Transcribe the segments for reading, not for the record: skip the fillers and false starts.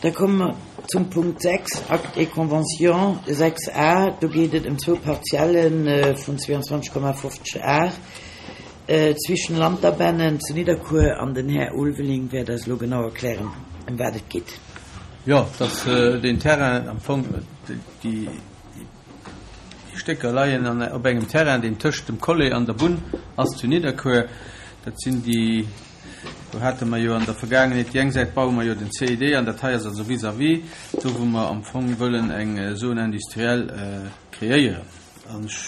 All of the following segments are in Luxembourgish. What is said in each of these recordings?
Da komme mer zum Punkt 6, Acte et convention 6 a. Do geet et ëm zwou Partielle vun 22,50 Ar zwischen Lanterbennen zu Nidderkuer an den Här Ulveling wäert eis elo genau erklären, ëm wat et geet. Jo, dass deen Terrain am Fong, déi Stécker leien an op engem Terrain, deen tëscht dem Collet an der Bunn ass zu Nidderkuer. Dat sinn déi. Do hate mer jo an der Vergaangenheet, déi eng Säit baue mer jo den CID an dat hei ass also vis-à-vis do, wou mer am Fong wëllen eng Zone industrielle kreéieren. An ech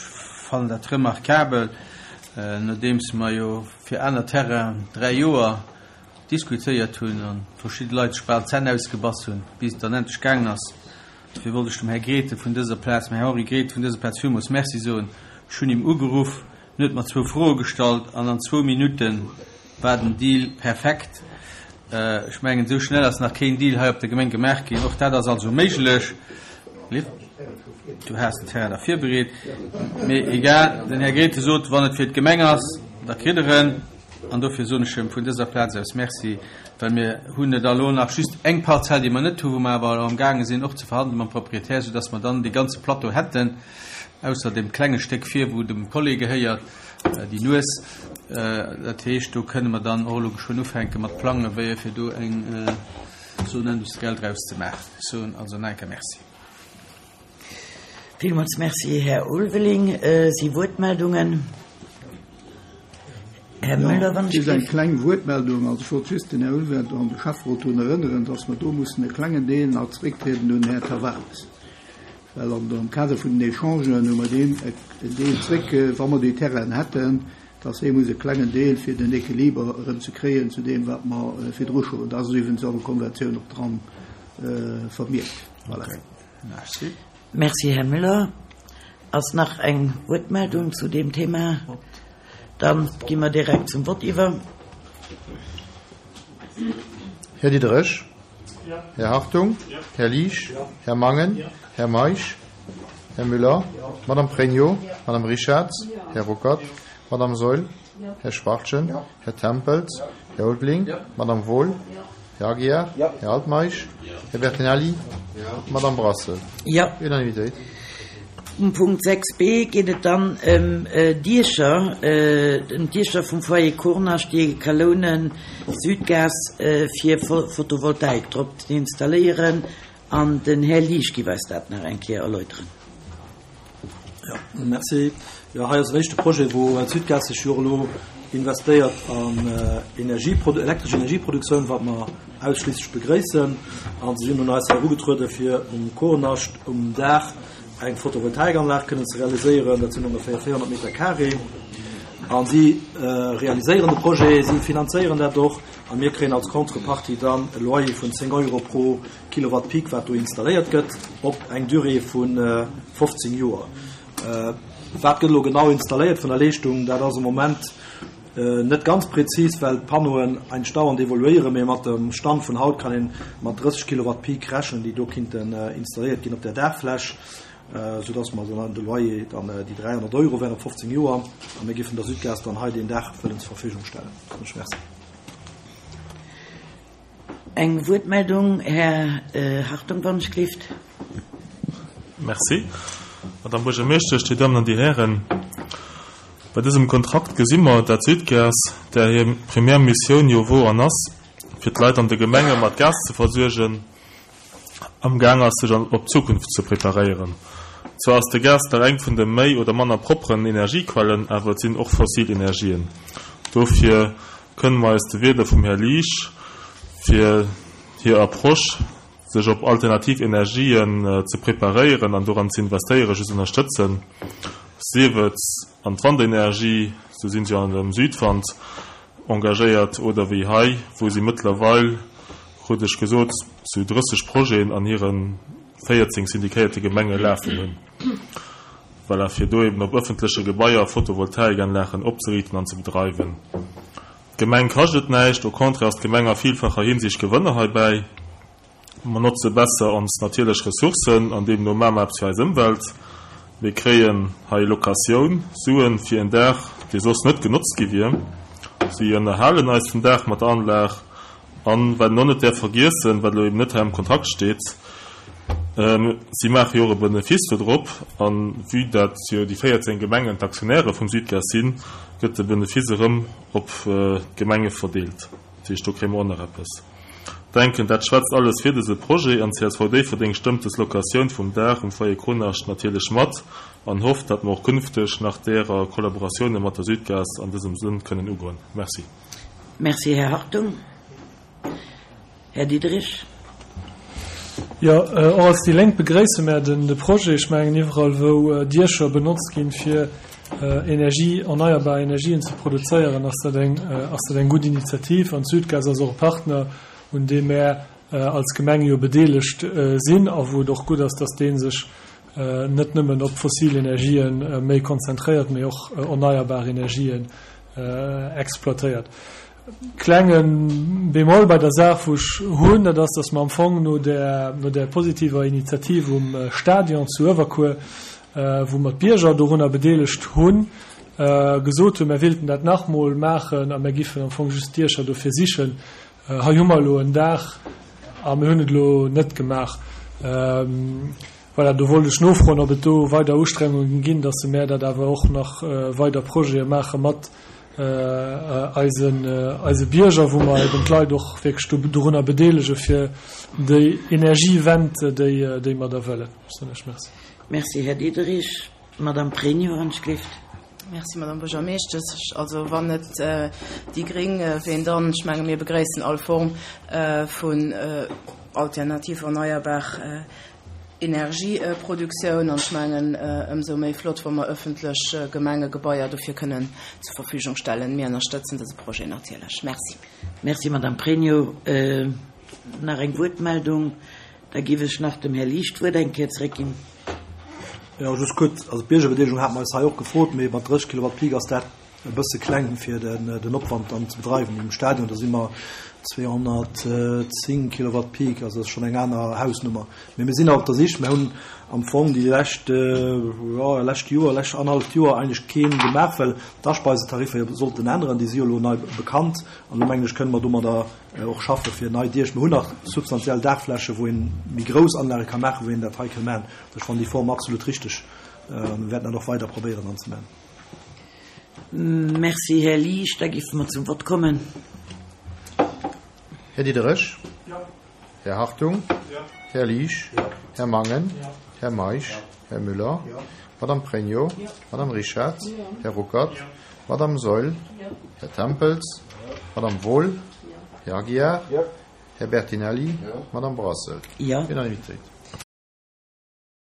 fannen dat remarkabel, nodeems mer jo fir aner Terrainen dräi Joer diskutéiert hunn a verschidde Leit sech bal d'Zänn ausgebass hunn, bis et dann endlech gaangen ass. Dofir wollt ech dem Här Grethen vun dëser Plaz, dem Här Henri Grethen vun dëser Plaz villmools Merci soen. Ech hunn him ugeruff, En huet mer zwou Froe gestallt an an zwou Minutte war den Deal perfekt. Ech mengen, esou schnell ass nach keen Deal hei op der Gemeng gemaach ginn. Och dat ass also méiglech. Du has den Terrain da virbereet. Mee egal, den Här Grethen sot, wann et fir d'Gemeng ass, da kritt er en. An dofir soen ech em vun dëser Plaz aus Merci, well mir hunn et elo nach just eng Parzell, déi mer net hunn, wou mer awer elo amgaange sinn och ze verhandele mam Proprietär, soudass mer dann dee ganze Plateau hätten. Ausser deem klenge Stéck vir, wou dem Collet gehéiert, déi Nues. Dat heescht, do kënne mer dann och elo geschwënn ufänke mat plangen, wéi fir do eng Zone industrielle draus ze maachen. Ech soen also nach eng Kéier Merci. Villmools Merci, Här Ulveling. Si Wuertmeldungen? Här Müller, wann ech Just eng kleng Wuertmeldung. Also ech wollt just den Här Ulveling an de Schäfferot drun erënneren, dass mer do mussen e klengen Deel nach zrécktrieden un den Här Tavares. Well an am Kader vun den Echangen hu mer deem en Deel zréck, wa mer déi Terrainen hätten, dass hee muss e klengen Deel fir den Equiliber erëm ze kréien zu deem, wat mer virdru scho hunn. Dat ass iwwregens an der Konventioun och dran vermierkt. Voilà. Merci. Merci, Här Müller. Ass nach eng Wuertmeldung zu deem Thema? Dann gi mer direkt zum Vott iwwer. Här Diderich. Här Hartung. Här Liesch. Här Mangen. Här Meisch. Här Müller. Madame Pregno. Madame Richarz. Här Ruckert. Madame Saeul. Här Schwachtgen. Här Tempels. Här Ulveling. Madame Wohl. Här Aguiar. Här Altmeisch. Här Bertinelli. Madame Brassel. Jo. Unanimitéit. Um Punkt 6 b geet et dann ëm Diecher, ëm d'Diecher vum Foyer Kurnascht, déi Kalounen Südgas fir Photovoltaik drop ze installéieren. An den Här Liesch giff eis dat nach eng Kéier erläuteren. Jo, merci. Jo, hei ass en éischte Projet, wou d'Südgas sech jo och elo investéiert an Energieprodu-, elektresch Energieproduktioun, wat mer ausschliisslech begréissen. A si sinn un eis erugetruede fir um Kornascht um Daach eng Photovoltaikanlag kënnen ze realiséieren. Dat sinn ongeféier 400 Meter carré. A si realiséieren de Projet, si finanzéieren dat och a mir kréien als Contrepartie dann e Loyer vun 10 Euro pro Kilowatt Peak, wat do installéiert gëtt, op eng Durée vu 15 Joer. Wat gëtt elo genau installéiert vun der Leeschtung, dat ass am Moment Net ganz präzis, well d'Pannoen eigentlech dauernd evoluéieren, mee mat dem Stand vun haut kann een mat 30 Kilowatt Peak rechnen, déi do kinnten installéiert ginn op där Daachfläch, sou dass mer dann de Loyer dann déi 300 Euro wären op 15 Joer a mir giffen der Südgas dann hei deen Daach wëllen zur Verfügung stellen. Soen ech Merci. Eng Wuertmeldung, Här Hartung, wann ech gleeft. Merci, Madame Buergermeeschtesch, Dir Dammen an Dir Hären. Bei dësem Kontrakt gesi mer, dat Südgas, där hir primär Missioun jo wor an ass, fir d'Leit an de Gemenge mat Gas ze versuergen, amgaang ass, sech op d'Zukunft ze preparéieren. Zwar ass de Gas nach eng vun de méi oder manner propperen Energiequellen, awer et sinn och fossil Energien. Dofir kënne mer eis de Wierder vum Här Liesch fir hir Approche, sech op alternativ Energien ze preparéieren an doran ze investéieren, just ënnerstëtzen, sief et an d'Wandenergie, sou sinn se jo an dem Südwand engagéiert, oder wéi hei, wou si mëttlerweil, krut ech gesot, zu 30 Projeten an hire 14 syndikéierte Gemenge lafen hunn. Voilà, fir do eben op ëffentleche Gebaier Photovoltaikanlagen opzeriichten an ze bedreiwen. D'Gemeng kascht et näischt, au contraire ass d'Gemeng a villfacher Hinsicht Gewënner heibäi. Mer notze besser ons natierlech Ressourcen an deemno maache mer eppes fir eis Ëmwelt. Mir kréien hei Locatioun, Suen fir en Daach, dee soss net genotzt gi wier. Si ënnerhalen eis den Daach mat der Anlag. An wat een och net däerf vergiessen, wat elo eben net hei am Kontrakt steet, si maache jo och e Benefice do drop. An vue dat jo déi 14 Gemengen d'Aktionäre vum Sudgaz sinn, gëtt de Benefice erëm op d'Gemenge verdeelt. Dat heescht, do kréie mer och nach eppes. Denken, dat schwätzt alles fir dëse Projet an csv Déifferdeng stëmmt des Locatioun vum Daach um Foyer Kronascht natierlech mat an hofft, datt mer och künfteg nach därer Kollaboratioune mat der Sudgaz an dësem Sënn kënnen ugoen. Merci. Merci, Här Hartung. Här Diderich. Jo, och als déi Lénk begréisse mär den de Projet. Ech mengen, iwwerall wou Diecher benotzt ginn, fir Energie, erneierbar Energien ze produzéieren, ass dat eng, ass dat eng gutt Initiativ. An d'Sudgaz ass och e Partner, un deem mär als Gemeng jo bedeelegt sinn a wou et och gutt ass, dass dee sech net nëmmen op fossil Energië méi konzentréiert, mee och erneierbar Energien exploitéiert. Klenge Bémol bei der Saach, wou ech hunn, dat ass, dass mer am Fong no där, no där positiver Initiativ um Stadion zu Uewerkuer, wou mer d'Bierger dorunner bedeelegt hunn, gesot hunn, mer wéilten dat nach mol maachen a mer giffen am Fong just d'Diecher dofir sichen. Hei hu mer elo en Daach a mir hunn et elo net gemaach. Voilà, do wollt ech nofroen, ob et do weider Ustrengungen ginn, dass se mär dat awer och nach weider Projete maache mat eisen, eise Bierger, wou mer eben d'Leit och wierklech do, dorunner bedeelege fir déi Energiewend, déi, déi mer da wëllen. Merci. Merci, Här Diderich. Madame Pregno, wann ech gleeft. Merci, Madame Buergermeeschtesch. Also wann net déi Gréng, ween dann? Ech menge mir begréissen all Form vun alternativ erneierbar Energieproduktioun an ech mengen ëmsou méi flott, wa mer ëffentlech Gemengegebaier dofir kënnen zur Verfügung stellen. Mir ënnerstëtzen dëse Projet natierlech. Merci. Merci, Madame Pregno. Nach eng Wuertmeldung? Da géif ech nach dem Här Liesch d'Wuert eng Kéier zeréckginn. Jo, just kuerz, also d'Biergerbedeelegung hate mer eis hei och gefrot, mee mat 30 Kilowatt Peak ass dat e bësse kleng fir den Opwand dann ze bedreiwen. Um Stadion, do si mer 210 Kilowatt Peak, also dat ass schonn eng aner Hausnummer. Mee mir sinn nach op der Sich. Mir hunn am Fong déi lescht, jo, lescht Joer, lescht annerhalleft Joer eigentlech keen gemaach, well d'Aspeisetariffer jo sollten änneren. Déi si jo elo nei bekannt an elo mengen ech kënne mer domadder och schaffe fir nei Diech. Mir hunn nach substantiell Daachfläche wou een méi grouss Anlage ka maachen, wou een dat hei kënn maachen. Ech fannen déi Form absolut richteg an mir wäerten dat och weider probéieren dann ze maachen. Merci, Här Liesch. Da géife mer zum Vott kommen. Här Diderich. Här Hartung. Här Liesch. Här Mangen. Här Meisch. Här Müller. Madame Pregno. Madame Richard. Här Ruckert. Madame Saeul. Här Tempels. Madame Wohl. Här Aguiar. Här Bertinelli. Madame Brassel. Jo. Unanimitéit.